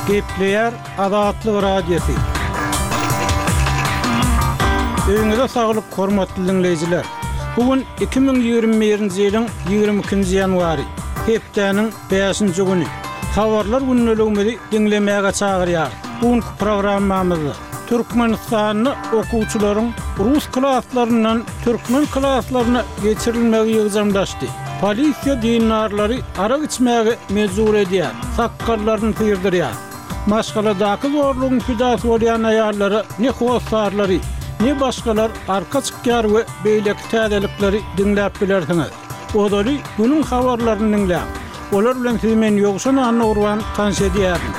Gepleýär Azatlyk Radiosy. Öýüňize saglyk, hormatly diňleýjiler! Bu gün 2021-nji ýylyň 22-nji ýanwary, hepdäniň bäşinji güni. Habarlar gündeligimizi diňlemäge çagyrýarys. Bu günki programmamyzda Türkmenistanda okuwçylaryň rus klaslaryndan türkmen klaslaryna geçirilmegi ýygjamlaşdy. Polisiýa dindarlary arak içmäge mejbur edýär, sakgallaryny syrdyrýar. Maşgaladaky zorlugyň pidasy bolýan aýallara ne hossarlary, ne başgalar arka çykýar we beýleki täzelikleri diňläp bilersiňiz. Ozaly günüň habarlaryny diňläň. Olar bilen sizi men Ýowşan Annagurban tanyş edýärin.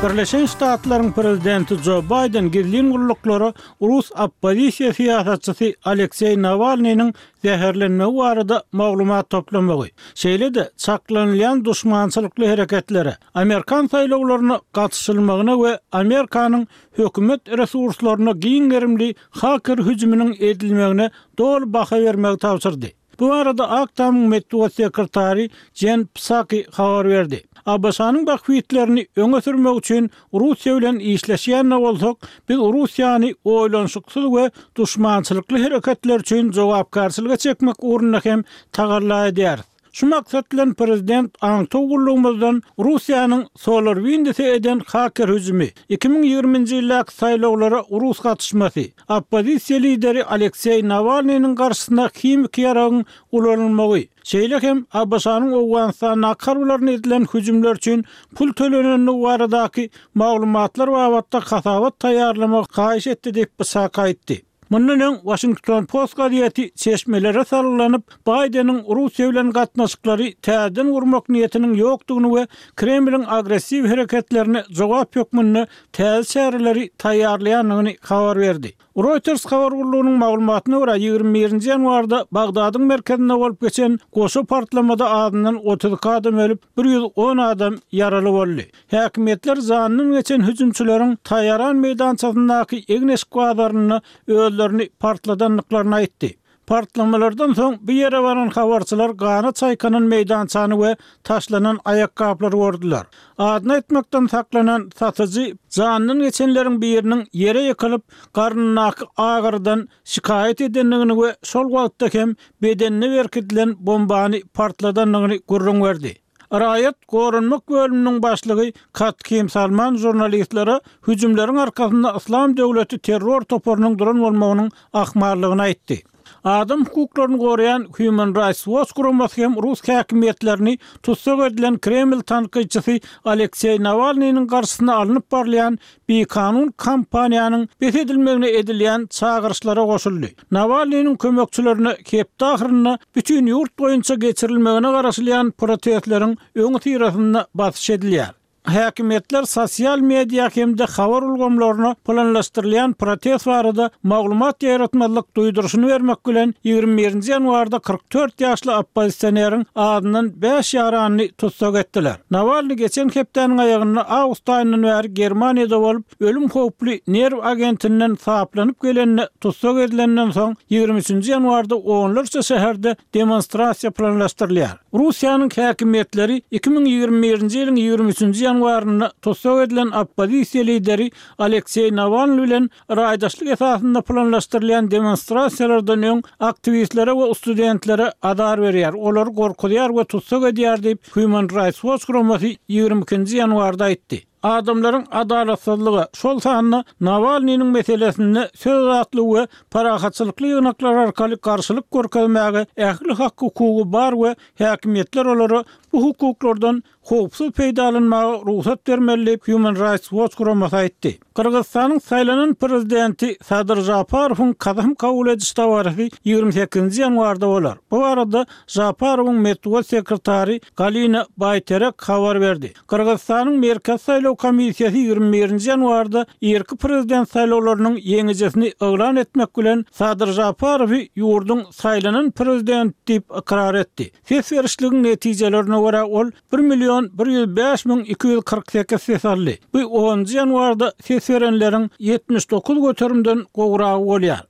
Birleşen Ştatlaryň prezidenti Jo Baýden gizlin gulluklara rus oppozisiýa syýasatçysy Alekseý Nawalnynyň zäherlenmegi barada maglumat toplamagy, şeýle-de çaklanylýan duşmançylykly hereketlere, amerikan saýlawlaryna gatyşylmagyna we Amerikanyň hökümet resurslaryna giň gerimli haker hüjüminiň edilmegine doly baha bermegi tabşyrdy. Bu barada Ak Tamyň metbugat sekretary Jen Psaki habar berdi. ABŞ-nyň bähbitlerini öňe sürmek üçin Russiýa bilen işleşýän-de bolsak, biz Russiýany oýlanyşyksyz we duşmançylykly hereketler üçin jogapkärçilige çekmek ugrunda hem tagalla edýäris. Şu maksat bilen prezident aňtaw gullugymyzdan Russiýanyň SolarWinds-e eden haker hüjümi, 2020-nji ýyldaky saýlawlara rus gatyşmasy, oppozisiýa lideri Alekseý Nawalnynyň garşysyna himiki ýaragyň ulanylmagy, şeýle hem ABŞ-nyň Owganystandaky harbylaryna edilen hüjümler üçin pul tölenendigi baradaky maglumatlar babatda hasabat taýýarlamagy haýyş etdi diýip, Psaki aýtdy. Mundan öň, Washington Post gazeti çeşmelere salgylanyp, Baýdeniň Russiýa bilen gatnaşyklary täzeden gurmak niýetiniň ýokdugyny we Kremliň agressiw hereketlerine jogap hökmünde täze çäreleri taýýarlaýandygyny habar berdi. Reuters habar gullugynyň maglumatyna görä, 21-nji ýanwarda Bagdadyň merkezinde bolup geçen goşa partlamada azyndan 32 adam ölüp, 110 adam ýaraly boldy. Häkimiýetler janyndan geçen hüjümçileriň Taýaran meýdançasyndaky egin-eşik bazarynda özlerini partladandyklaryny aýtdy. Partlamalardan soň bu ýere baran habarçylar gana çaýkanan meýdançany we taşlanan aýakgaplary gördüler. Adyny aýtmakdan saklanan satyjy janyndan geçenleriň biriniň ýere ýykylyp, garnyndaky agyrydan şikaýat edendigini we şol wagtda hem bedenine berkidilen bombany partladandygyny gürrüň berdi. Raýat goranmak bölüminiň başlygy Katkim Salman žurnalistlere hüjümleriň arkasynda Yslam döwleti terror toparynyň duran bolmagynyň ahmallygyny aýtdy. Adam hukuklaryny goraýan Human Rights Watch guramasy hem rus häkimiýetlerini tussag edilen Kreml tankytçysy Alekseý Nawalnynyň garşysyna alnyp barylýan bikanun kampaniýanyň bes edilmegine edilýän çagyryşlara goşuldy. Nawalnynyň kömekçilerine hepde ahyrynda bütin ýurt boýunça geçirilmegine garaşylýan protestleriň öňüsyrasynda basyş edilýär. Häkimiýetler sosial media hem-de habar ulgamlaryna planlaşdyrylýan protest barada maglumat ýaýratmazlyk duýduryşyny bermek bilen, 21-nji ýanwarda 44 ýaşly oppozisioneriň azyndan bäş ýaranyny tussag etdiler. Nawalnyý geçen hepdäniň aýagynda awgust aýyndan bäri Germaniýada bolup, ölüm howply nerw agentinden saplanyp gelende tussag edilenden soň, 23-nji ýanwarda onlarça şäherde demonstrasiýa planlaşdyrylýar. Russiýanyň häkimiýetleri 2021-nji ýylyň 23-nji ýanwarynda tussag edilen oppozisiýa lideri Alekseý Nawalnyý bilen Raýdaşlyk esasynda planlaşdyrylýan demonstrasiýalardan öň aktiwistlere we studentlere azar berýär, olary gorkuzýar we tussag edýär diýip, Human Rights Watch guramasy 22-nji ýanwarda aýtdy. Adamlaryň adalatsyzlyga, şol sanda Nawalnynyň meselesinde söz azatlygy we parahatçylykly ýygnaklar arkaly garşylyk görkezmäge ähli hak-hukugy bar we häkimiýetler olara bu hukuklardan howpsuz peýdalanmaga rugsat bermeli diýip, Human Rights Watch guramasy aýtdy. Gyrgyzystanyň saýlanan prezidenti Sadyr Žaparowyň kasam kabul ediş dabarasy 28-nji ýanwarda bolar. Bu barada Žaparowyň metbugat sekretary Galina Baýterek habar berdi. Gyrgyzystanyň Merkezi saýlaw komissiýasy 21-nji ýanwarda irki prezident saýlawlarynyň ýeňijisini yglan etmek bilen, Sadyr Žaparowy ýurduň saýlanan prezidenti diýip ykrar etdi. Ses berişligiň netijelerine görä, ol bir million 105 248 ses aldy. Bu onunjy ýanwarda ses berenleriň 79 göterimden gowragy bolýar.